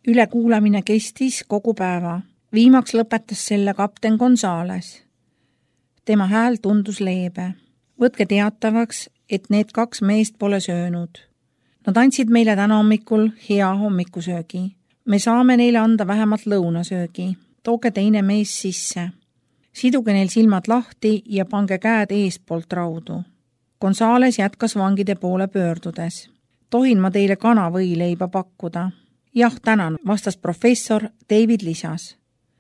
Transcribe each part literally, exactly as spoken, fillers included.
Ülekuulamine kestis kogu päeva. Viimaks lõpetas selle kapten Gonzales. Tema hääl tundus leebe. Võtke teatavaks, et need kaks meest pole söönud. Nad andsid meile täna hommikul hea hommikusöögi. Me saame neile anda vähemalt lõunasöögi. Tooge teine mees sisse. Siduge neil silmad lahti ja pange käed eespoolt raudu. Gonzales jätkas vangide poole pöördudes. Tohin ma teile kanavõileiba pakkuda? Jah, tänan, vastas professor. David lisas.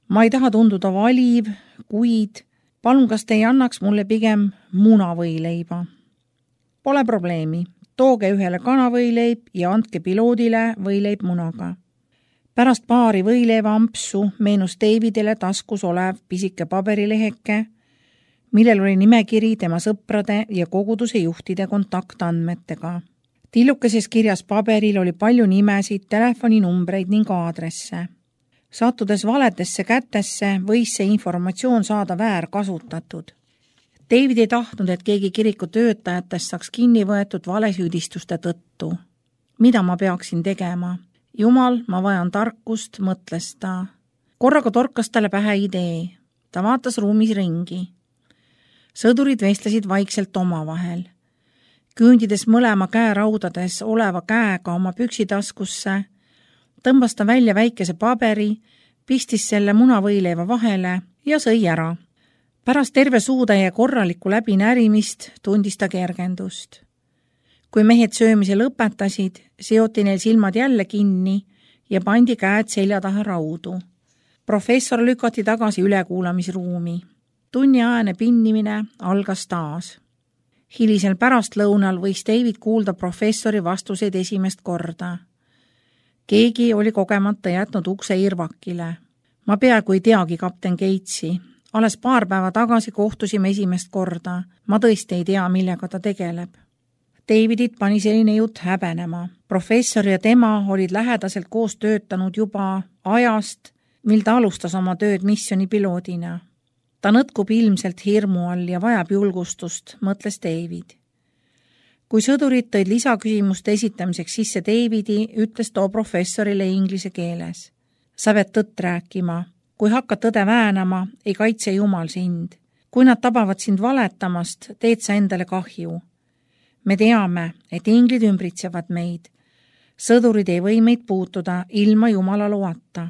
Ma ei taha tunduda valiv, kuid palun, kas te ei annaks mulle pigem munavõileiba? Pole probleemi. Tooge ühele kanavõileib ja andke piloodile võileib munaga. Pärast paari võileiva ampsu meenus Davidile taskus olev pisike paberileheke, millel oli nimekiri tema sõprade ja koguduse juhtide kontaktandmetega. Tillukeses kirjas paberil oli palju nimesid, telefoninumbreid ning aadresse. Sattudes valetesse kätesse, võis see informatsioon saada väärkasutatud. David ei tahtnud, et keegi kiriku töötajatest saaks kinni võetud valesüüdistuste tõttu. Mida ma peaksin tegema? Jumal, ma vajan tarkust, mõtles ta. Korraga torkas talle pähe idee. Ta vaatas ruumis ringi. Sõdurid vestlesid vaikselt omavahel. Küündides mõlema käe raudades oleva käega oma püksitaskusse, tõmbas ta välja väikese paberi, pistis selle munavõileiva vahele ja sõi ära. Pärast terve suudaja korralikku läbinärimist tundis ta kergendust. Kui mehed söömise lõpetasid, seoti neil silmad jälle kinni ja pandi käed selja taha raudu. Professor lükati tagasi ülekuulamisruumi. Tunniajane pinnimine algas taas. Hilisel pärastlõunal võis David kuulda professori vastuseid esimest korda. Keegi oli kogemata jätnud ukse irvakile. Ma peaaegu ei teagi kapten Gatesi. Alles paar päeva tagasi kohtusime esimest korda. Ma tõesti ei tea, millega ta tegeleb. Davidit pani selline jutt häbenema. Professor ja tema olid lähedaselt koos töötanud juba ajast, mil ta alustas oma tööd missioni piloodina. Ta nõtkub ilmselt hirmu all ja vajab julgustust, mõtles David. Kui sõdurid tõid lisaküsimuste esitamiseks sisse Davidi, ütles too professorile inglise keeles. Sa pead tõtt rääkima. Kui hakkad tõde väänama, ei kaitse Jumal sind. Kui nad tabavad sind valetamast, teed sa endale kahju. Me teame, et inglid ümbritsevad meid. Sõdurid ei või meid puutuda ilma Jumala loata.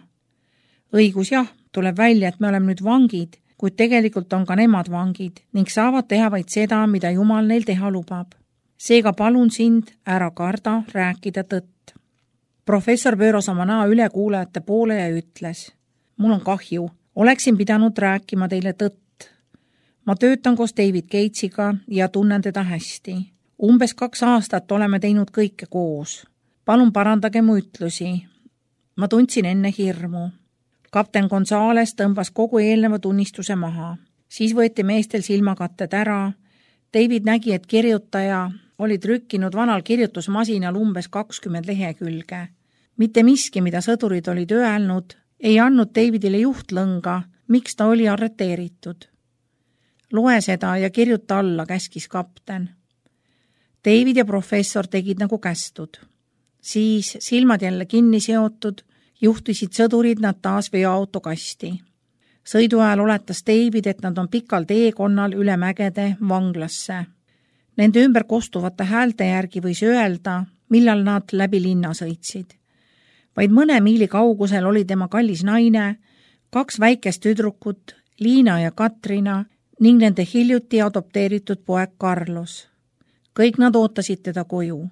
Õigus jah, tuleb välja, et me oleme nüüd vangid, kuid tegelikult on ka nemad vangid ning saavad teha vaid seda, mida Jumal neil teha lubab. Seega palun sind ära karda rääkida tõtt. Professor pööras oma näo ülekuulajate poole ja ütles, mul on kahju, oleksin pidanud rääkima teile tõtt. Ma töötan koos David Gatesiga ja tunnen teda hästi. Umbes kaks aastat oleme teinud kõike koos. Palun parandage mu ütlusi. Ma tundsin enne hirmu. Kapten Gonzales tõmbas kogu eelneva tunnistuse maha. Siis võeti meestel silmakatted ära. David nägi, et kirjutaja oli trükkinud vanal kirjutusmasinal umbes kakskümmend lehekülge. Mitte miski, mida sõdurid olid öelnud, ei andnud Davidile juhtlõnga, miks ta oli arreteeritud. Loe seda ja kirjuta alla, käskis kapten. David ja professor tegid nagu kästud. Siis silmad jälle kinni seotud, juhtisid sõdurid nad taas veoauto kasti. Sõidu ajal oletas David, et nad on pikal teekonnal üle mägede vanglasse. Nende ümber kostuvate häälte järgi võis öelda, millal nad läbi linna sõitsid. Vaid mõne miili kaugusel oli tema kallis naine, kaks väikest tüdrukut, Liina ja Katrina ning nende hiljuti adopteeritud poeg Carlos. Kõik nad ootasid teda koju.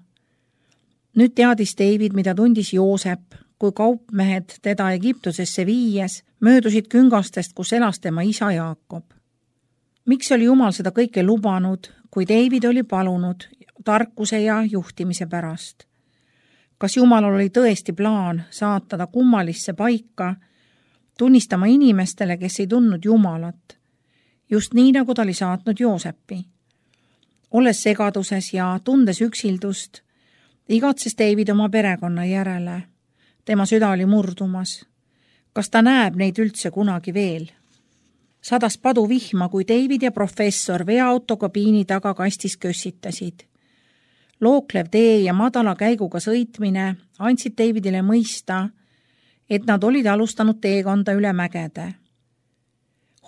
Nüüd teadis David, mida tundis Joosep, kui kaupmehed teda Egiptusesse viies möödusid küngastest, kus elas tema isa Jaakob. Miks oli Jumal seda kõike lubanud, kui David oli palunud tarkuse ja juhtimise pärast? Kas Jumal oli tõesti plaan saata ta kummalisse paika, tunnistama inimestele, kes ei tundnud Jumalat, just nii, nagu ta oli saatnud Joosepi? Olles segaduses ja tundes üksildust, igatses David oma perekonna järele. Tema süda oli murdumas. Kas ta näeb neid üldse kunagi veel? Sadas padu vihma, kui David ja professor veoauto kabiini taga kastis kössitasid. Looklev tee ja madala käiguga sõitmine andsid Davidile mõista, et nad olid alustanud teekonda üle mägede.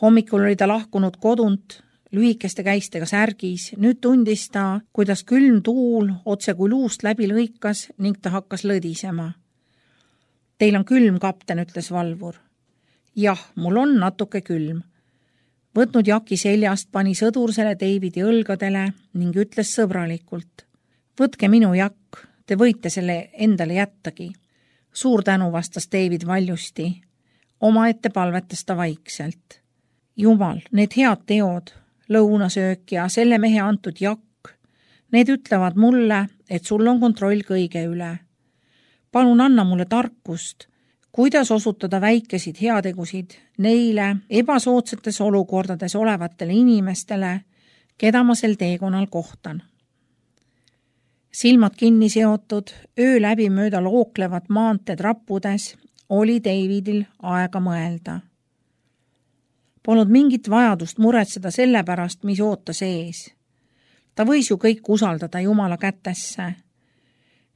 Hommikul oli ta lahkunud kodunt, lühikeste käistega särgis, nüüd tundis ta, kuidas külm tuul otse kui luust läbi lõikas ning ta hakkas lõdisema. Teil on külm, kapten, ütles valvur. Jah, mul on natuke külm. Võtnud jaki seljast, pani sõdur selle Davidi õlgadele ning ütles sõbralikult. Võtke minu jakk, te võite selle endale jättagi. Suur tänu, vastas David valjusti. Oma ette palvetas ta vaikselt. Jumal, need head teod, lõunasöök ja selle mehe antud jakk, need ütlevad mulle, et sul on kontroll kõige üle. Palun anna mulle tarkust, kuidas osutada väikesid heategusid neile ebasoodsates olukordades olevatele inimestele, keda ma sel teekonnal kohtan. Silmad kinni seotud, öö läbi mööda looklevat maanteed rappudes, oli Davidil aega mõelda. Polnud mingit vajadust muretseda selle pärast, mis ootas ees. Ta võis ju kõik usaldada Jumala kätesse.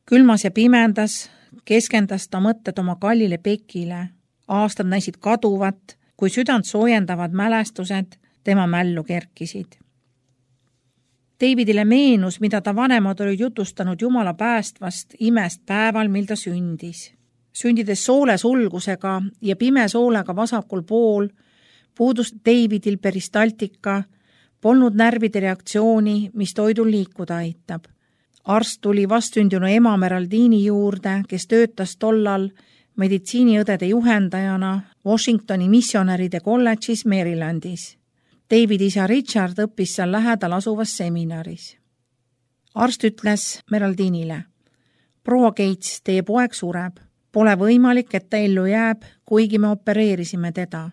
Külmas ja pimendas keskendas ta mõtted oma kallile Bekile. Aastad näisid kaduvat, kui südant soojendavad mälestused tema mällu kerkisid. Davidile meenus, mida ta vanemad olid jutustanud Jumala päästvast imest päeval, mil ta sündis. Sündides soole sulgusega ja pime soolega vasakul pool, puudus Davidil peristaltika, polnud närvide reaktsiooni, mis toidul liikuda aitab. Arst tuli vastsündinu ema Meraldini juurde, kes töötas tollal meditsiiniõdede juhendajana Washingtoni missionäride kolledžis Marylandis. David isa Richard õppis seal lähedal asuvas seminaris. Arst ütles Meraldinile, proua Gates, teie poeg sureb. Pole võimalik, et ta ellu jääb, kuigi me opereerisime teda.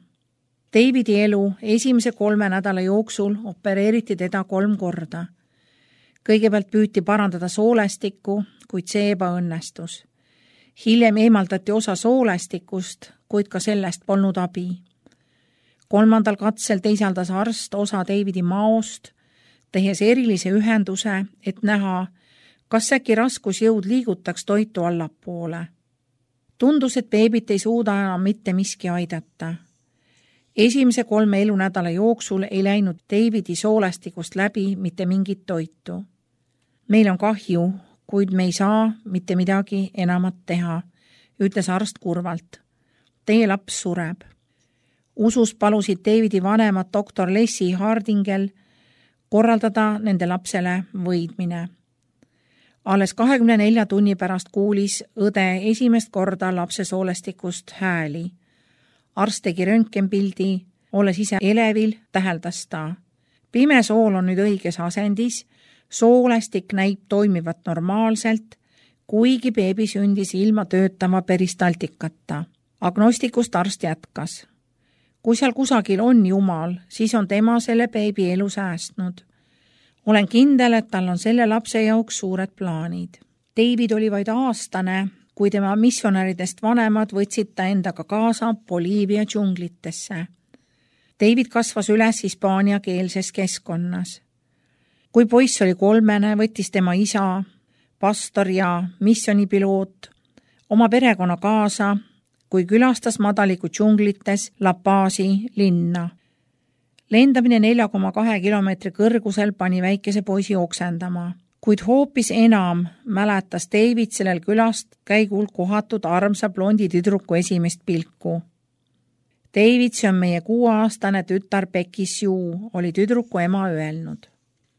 Davidi elu esimese kolme nädala jooksul opereeriti teda kolm korda. Kõigepealt püüti parandada soolestikku, kuid see ebaõnnestus. Hiljem eemaldati osa soolestikust, kuid ka sellest polnud abi. Kolmandal katsel teisaldas arst osa Davidi maost, tehes erilise ühenduse, et näha, kas äkki raskusjõud liigutaks toitu allapoole. Tundus, et beebit ei suuda enam mitte miski aidata. Esimese kolme elunädala jooksul ei läinud Davidi soolestikust läbi mitte mingit toitu. Meil on kahju, kuid me ei saa mitte midagi enamat teha, ütles arst kurvalt. Teie laps sureb. Usus palusid Davidi vanemad doktor Leslie Hardingel korraldada nende lapsele võidmine. Alles kahekümne nelja tunni pärast kuulis õde esimest korda lapse soolestikust hääli. Arst tegi röntgenpildi, olles ise elevil, täheldas ta. Pime sool on nüüd õiges asendis, soolestik näib toimivat normaalselt, kuigi beebi sündis ilma töötama peristaltikata. Agnostikust arst jätkas. Kui seal kusagil on Jumal, siis on tema selle beebi elu säästnud. Olen kindel, et tal on selle lapse jaoks suured plaanid. David oli vaid aastane, kui tema missionäridest vanemad võtsid ta endaga kaasa Boliivia džunglitesse. David kasvas üles hispaania keelses keskkonnas. Kui poiss oli kolmene, võttis tema isa, pastor ja missionipiloot oma perekonna kaasa, kui külastas madaliku džunglites La Pazi linna. Lendamine nelja koma kahe kilomeetri kõrgusel pani väikese poisi oksendama, kuid hoopis enam mäletas David sellel külast käigul kohatud armsa blondi tüdruku esimest pilku. David, see on meie kuueaastane tütar Becky Sue, oli tüdruku ema öelnud.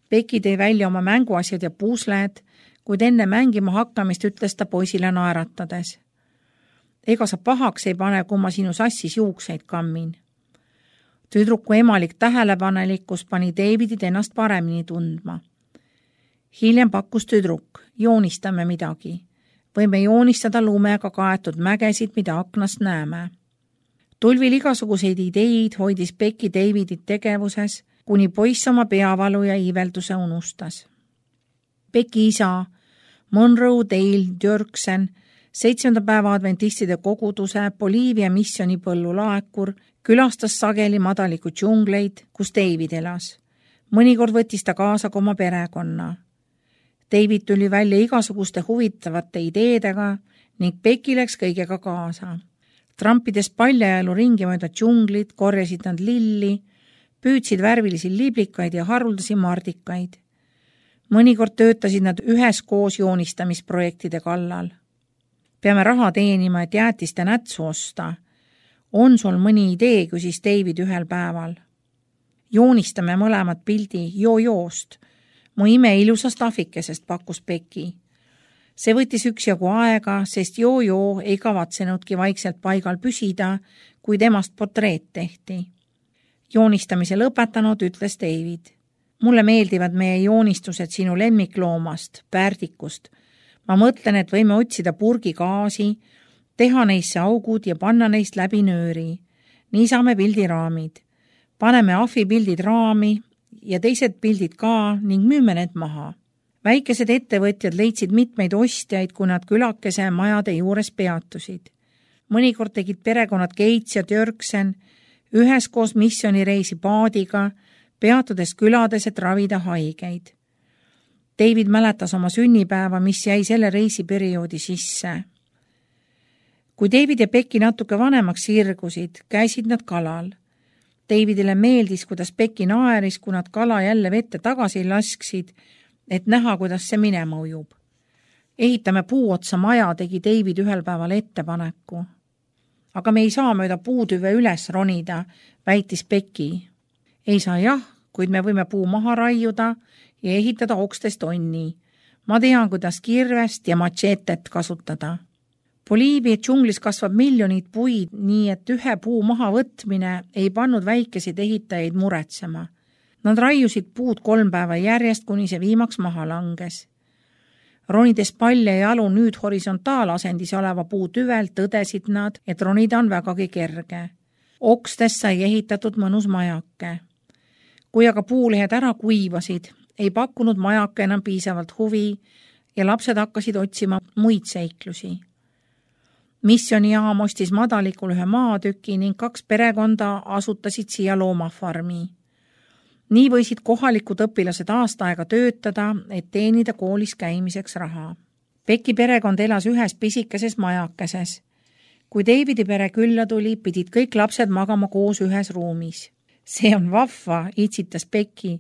Becky tõi välja oma mänguasjad ja puusled, kuid enne mängima hakkamist ütles ta poisile naeratades. Ega sa pahaks ei pane, kui ma sinu sassis juukseid kammin. Tüdruku emalik tähelepanelikkus pani Davidit ennast paremini tundma. Hiljem pakkus tüdruk, joonistame midagi. Võime joonistada lumega kaetud mägesid, mida aknast näeme. Tulvil igasuguseid ideid hoidis Becky Davidit tegevuses, kuni poiss oma peavalu ja iivelduse unustas. Becky isa, Monroe Dale Djörksen, seitsmenda päeva adventistide koguduse Boliivia missioni põllulaakur, külastas sageli madaliku džungleid, kus David elas. Mõnikord võttis ta kaasa ka oma perekonna. David tuli välja igasuguste huvitavate ideedega ning Becky läks kõigega kaasa. Trampides paljajalu ringi mööda džunglit, korjasid nad lilli, püüdsid värvilisi liblikaid ja haruldasi mardikaid. Mõnikord töötasid nad üheskoos joonistamisprojektide kallal. Peame raha teenima, et jäätiste nätsu osta. On sul mõni idee, küsis David ühel päeval. Joonistame mõlemad pildi joo-joost. Mu ime ilusast ahvikesest pakkus Becky. See võttis üksjagu aega, sest joo-joo ei kavatsenudki vaikselt paigal püsida, kui temast portreet tehti. Joonistamise lõpetanud, ütles David. Mulle meeldivad meie joonistused sinu lemmikloomast, pärdikust. Ma mõtlen, et võime otsida purgi gaasi, teha neisse augud ja panna neist läbi nööri. Nii saame pildiraamid. Paneme ahvi pildid raami ja teised pildid ka ning müüme need maha. Väikesed ettevõtjad leidsid mitmeid ostjaid, kui nad külakese majade juures peatusid. Mõnikord tegid perekonnad Gates ja Djörgsen üheskoos missioonireisi paadiga, peatudes külades, et ravida haigeid. David mäletas oma sünnipäeva, mis jäi selle reisiperioodi sisse. Kui David ja Becky natuke vanemaks sirgusid, käisid nad kalal. Davidile meeldis, kuidas Becky naeris, kui nad kala jälle vette tagasi lasksid, et näha, kuidas see minema ujub. Ehitame puuotsa maja, tegi David ühel päeval ettepaneku. Aga me ei saa mööda puutüve üles ronida, väitis Becky. Ei saa jah, kuid me võime puu maha raiuda ja ehitada okstest onni. Ma tean, kuidas kirvest ja machetet kasutada. Boliivia džunglis kasvab miljonid puid, nii et ühe puu maha võtmine ei pannud väikesid ehitajaid muretsema. Nad raiusid puud kolm päeva järjest, kuni see viimaks maha langes. Ronides palja jalu nüüd horisontaalasendis oleva puu tüvel tõdesid nad, et ronida on vägagi kerge. Okstest sai ehitatud mõnus majake. Kui aga puulehed ära kuivasid, ei pakkunud majake enam piisavalt huvi ja lapsed hakkasid otsima muid seiklusi. Missionijaam ostis madalikul ühe maatüki ning kaks perekonda asutasid siia loomafarmi. Nii võisid kohalikud õpilased aasta aega töötada, et teenida koolis käimiseks raha. Becky perekond elas ühes pisikeses majakeses. Kui Davidi pere külla tuli, pidid kõik lapsed magama koos ühes ruumis. See on vahva, itsitas Becky.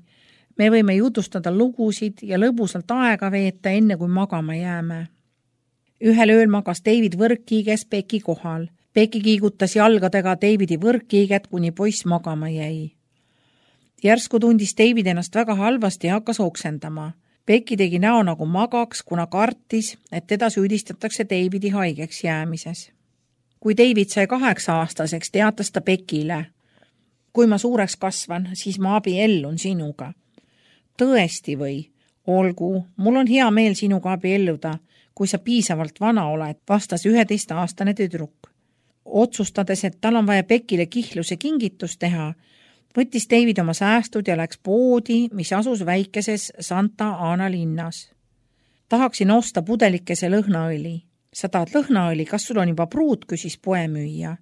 Me võime jutustada lugusid ja lõbusalt aega veeta, enne kui magama jääme. Ühel ööl magas David võrkkiiges Becky kohal. Becky kiigutas jalgadega Davidi võrkkiiget, kuni poiss magama jäi. Järsku tundis David ennast väga halvasti ja hakkas oksendama. Becky tegi näo nagu magaks, kuna kartis, et teda süüdistatakse Davidi haigeks jäämises. Kui David sai kaheksa aastaseks, teatas ta Beckyle. Kui ma suureks kasvan, siis ma abiellun sinuga. Tõesti või? Olgu, mul on hea meel sinuga abielluda, kui sa piisavalt vana oled, vastas üheteistaastane tüdruk. Otsustades, et tal on vaja Beckyle kihluse kingitus teha, võttis David oma säästud ja läks poodi, mis asus väikeses Santa Ana linnas. Tahaksin osta pudelikese lõhnaõli. Sa tahad lõhnaõli, kas sul on juba pruut, küsis poemüüja.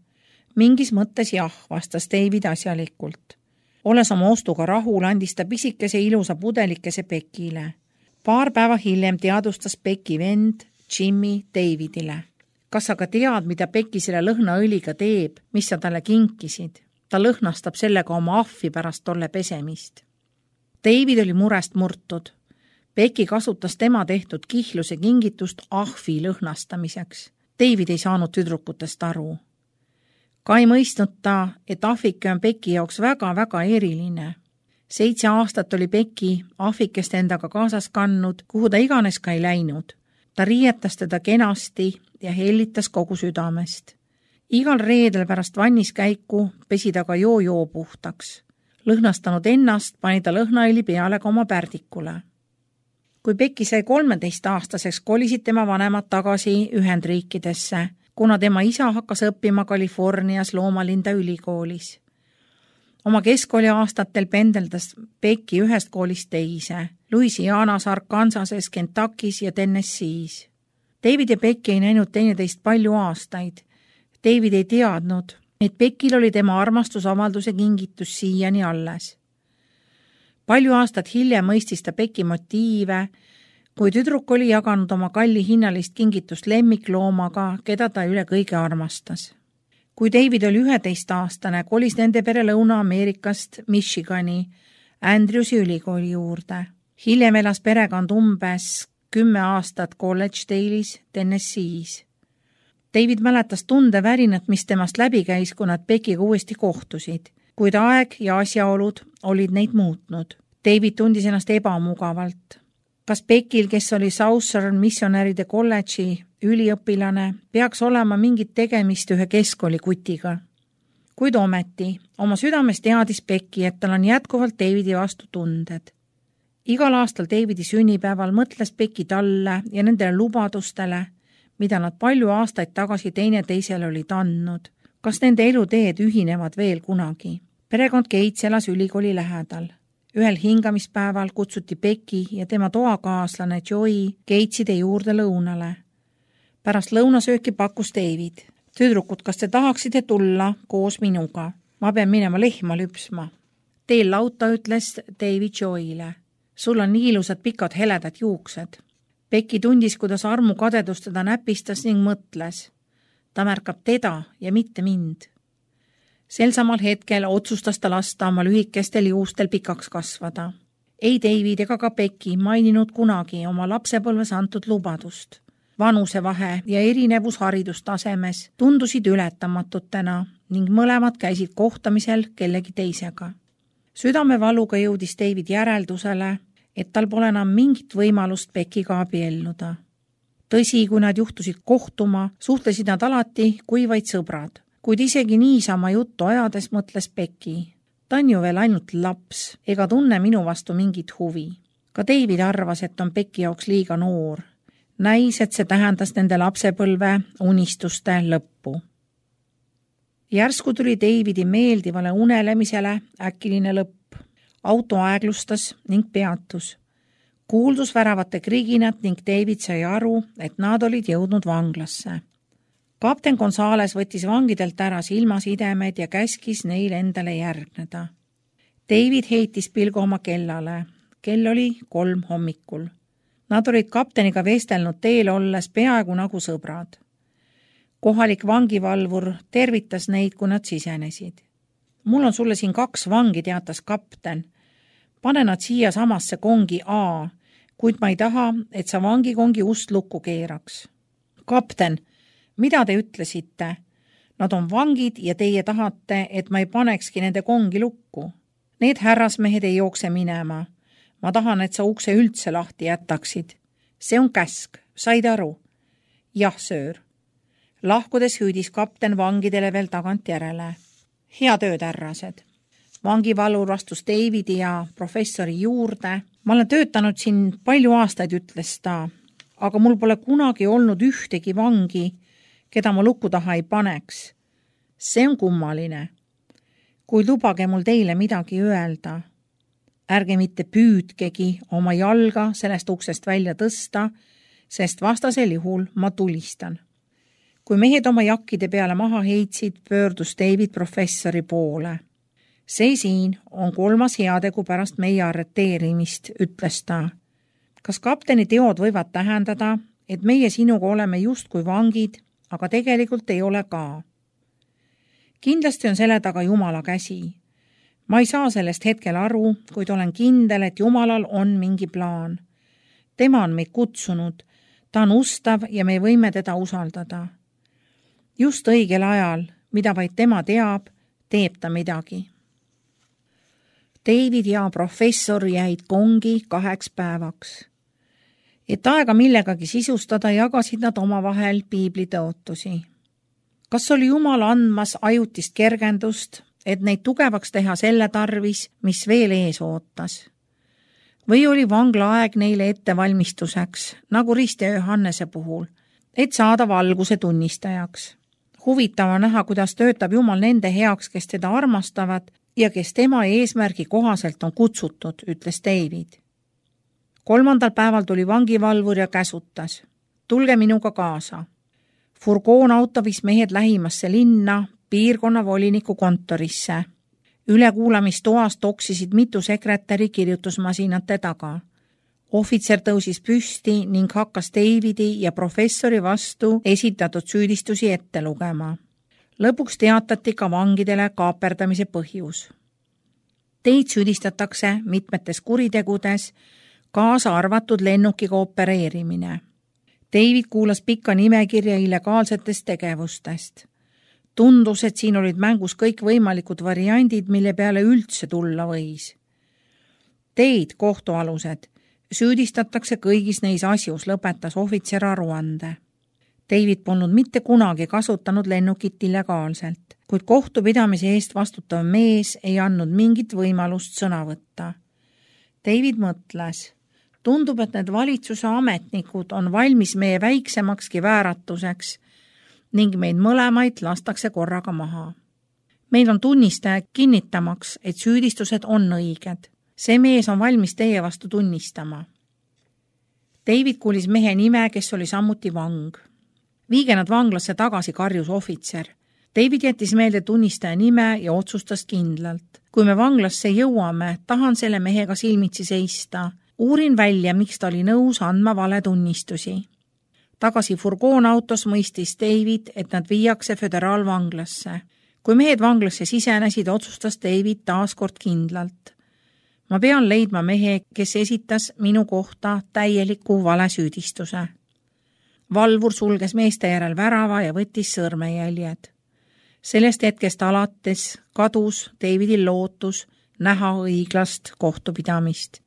Mingis mõttes jah, vastas David asjalikult. Olles oma ostuga rahul, andis ta pisikese ilusa pudelikese Beckyle. Paar päeva hiljem teadustas Becky vend Jimmy Davidile. Kas aga tead, mida Becky selle lõhnaõliga teeb, mis sa talle kinkisid? Ta lõhnastab sellega oma ahvi pärast tolle pesemist. David oli murest murtud. Becky kasutas tema tehtud kihluse kingitust ahvi lõhnastamiseks. David ei saanud tüdrukutest aru. Ka ei mõistnud ta, et ahvike on Becky jaoks väga-väga eriline. Seitse aastat oli Becky ahvikest endaga kaasas kannud, kuhu ta iganes ka ei läinud. Ta riietas teda kenasti ja hellitas kogu südamest. Igal reedel pärast vanniskäiku pesi ta ka joo-joo puhtaks. Lõhnastanud ennast pani ta lõhnaõli peale ka oma pärdikule. Kui Becky sai kolmeteist aastaseks, kolisid tema vanemad tagasi Ühendriikidesse, kuna tema isa hakkas õppima Californias Loomalinda ülikoolis. Oma keskkooli aastatel pendeldas Becky ühest koolist teise, Louisianas, Arkansases, Kentuckys ja Tennessee's. David ja Becky ei näinud teineteist palju aastaid. David ei teadnud, et Beckyl oli tema armastusavalduse kingitus siiani alles. Palju aastat hiljem mõistis ta Becky motiive, kui tüdruk oli jaganud oma kalli hinnalist kingitust lemmikloomaga, keda ta üle kõige armastas. kui David oli üheteistaastane, kolis nende pere Lõuna-Ameerikast Michigani Andrewsi ülikooli juurde. Hiljem elas perekond umbes kümme aastat College Dale'is, Tennessee's. David mäletas tundevärinat, mis temast läbi käis, kui nad Beckiga uuesti kohtusid, kuid aeg ja asjaolud olid neid muutnud. David tundis ennast ebamugavalt. Kas Beckil, kes oli Southern Missionäride kolledži üliõpilane, peaks olema mingit tegemist ühe keskkooli kutiga? Kuid ometi, oma südames teadis Becki, et tal on jätkuvalt Davidi vastu tunded. Igal aastal Davidi sünnipäeval mõtles Becki talle ja nendele lubadustele, mida nad palju aastaid tagasi teine teisele olid andnud. Kas nende eluteed ühinevad veel kunagi? Perekond Gates elas ülikooli lähedal. Ühel hingamispäeval kutsuti Becki ja tema toakaaslane Joey Gateside juurde lõunale. Pärast lõunasööki pakkus David. Tüdrukud, kas te tahaksite tulla koos minuga? Ma pean minema lehma lüpsma. Teel lauta ütles David Joey'le. Sul on nii ilusad pikad heledad juuksed. Becki tundis, kuidas armu kadedust teda näpistas ning mõtles. Ta märkab teda ja mitte mind. Sel samal hetkel otsustas ta lasta oma lühikestel juustel pikaks kasvada. Ei David ega ka Becki maininud kunagi oma lapsepõlves antud lubadust. Vanusevahe ja erinevus haridustasemes tundusid ületamatutena ning mõlemad käisid kohtamisel kellegi teisega. Südamevaluga jõudis David järeldusele, et tal pole enam mingit võimalust Beckiga abielluda. Tõsi, kui nad juhtusid kohtuma, suhtlesid nad alati kui vaid sõbrad. Kuid isegi niisama juttu ajades mõtles Becki. Ta on ju veel ainult laps, ega tunne minu vastu mingit huvi. Ka David arvas, et on Becki jaoks liiga noor. Näis, et see tähendas nende lapsepõlve unistuste lõppu. Järsku tuli Davidi meeldivale unelemisele äkiline lõpp. Auto aeglustas ning peatus. Kuuldus väravate kriginat ning David sai aru, et nad olid jõudnud vanglasse. Kapten Gonzales võttis vangidelt ära silmasidemed ja käskis neil endale järgneda. David heitis pilgu oma kellale. Kell oli kolm hommikul. Nad olid kapteniga vestelnud teel olles peaaegu nagu sõbrad. Kohalik vangivalvur tervitas neid, kui nad sisenesid. Mul on sulle siin kaks vangi, teatas kapten. Pane nad siia samasse kongi A, kuid ma ei taha, et sa vangikongi ust lukku keeraks. Kapten, mida te ütlesite? Nad on vangid ja teie tahate, et ma ei panekski nende kongi lukku. Need härrasmehed ei jookse minema. Ma tahan, et sa ukse üldse lahti jätaksid. See on käsk, said aru? Jah, söör. Lahkudes hüüdis kapten vangidele veel tagant järele. Hea tööd, härrased. Vangivalvur astus Davidi ja professori juurde. Ma olen töötanud siin palju aastaid, ütles ta, aga mul pole kunagi olnud ühtegi vangi, keda ma luku taha ei paneks. See on kummaline. Kuid lubage mul teile midagi öelda. Ärge mitte püüdkegi oma jalga sellest uksest välja tõsta, sest vastasel juhul ma tulistan. Kui mehed oma jakkide peale maha heitsid, pöördus David professori poole. See siin on kolmas heategu pärast meie arreteerimist, ütles ta. Kas kapteni teod võivad tähendada, et meie sinuga oleme justkui vangid, aga tegelikult ei ole ka? Kindlasti on selle taga Jumala käsi. Ma ei saa sellest hetkel aru, kuid olen kindel, et Jumalal on mingi plaan. Tema on meid kutsunud, ta on ustav ja me võime teda usaldada. Just õigel ajal, mida vaid tema teab, teeb ta midagi. David ja professor jäid kongi kaheks päevaks. Et aega millegagi sisustada, jagasid nad omavahel piiblitõotusi. Kas oli Jumal andmas ajutist kergendust, et neid tugevaks teha selle tarvis, mis veel ees ootas? Või oli vanglaaeg neile ettevalmistuseks, nagu Rist ja Johannese puhul, et saada valguse tunnistajaks? Huvitav on näha, kuidas töötab Jumal nende heaks, kes teda armastavad ja kes tema eesmärgi kohaselt on kutsutud, ütles David. Kolmandal päeval tuli vangivalvur ja käsutas. Tulge minuga kaasa. Furgoon auto viis mehed lähimasse linna, piirkonna voliniku kontorisse. Ülekuulamistoas toksisid mitu sekretäri kirjutusmasinate taga. Ohvitser tõusis püsti ning hakkas Davidi ja professori vastu esitatud süüdistusi ette lugema. Lõpuks teatati ka vangidele kaaperdamise põhjus. Teid süüdistatakse mitmetes kuritegudes, kaasa arvatud lennukiga opereerimine. David kuulas pikka nimekirja illegaalsetest tegevustest. Tundus, et siin olid mängus kõik võimalikud variandid, mille peale üldse tulla võis. Teid, kohtualused, süüdistatakse kõigis neis asjus, lõpetas ohvitser aruande. David polnud mitte kunagi kasutanud lennukit illegaalselt, kuid kohtupidamise eest vastutav mees ei andnud mingit võimalust sõna võtta. David mõtles, tundub, et need valitsuse ametnikud on valmis meie väiksemakski vääratuseks ning meid mõlemaid lastakse korraga maha. Meil on tunnistaja kinnitamaks, et süüdistused on õiged. See mees on valmis teie vastu tunnistama. David kuulis mehe nime, kes oli samuti vang. Viige nad vanglasse tagasi, karjus ohvitser. David jättis meelde tunnistaja nime ja otsustas kindlalt. Kui me vanglasse jõuame, tahan selle mehega silmitsi seista. Uurin välja, miks ta oli nõus andma vale tunnistusi. Tagasi furgoonautos mõistis David, et nad viiakse föderaalvanglasse. Kui mehed vanglasse sisenesid, otsustas David taaskord kindlalt. Ma pean leidma mehe, kes esitas minu kohta täieliku valesüüdistuse. Valvur sulges meeste järel värava ja võttis sõrmejäljed. Sellest hetkest alates kadus Davidil lootus näha õiglast kohtupidamist.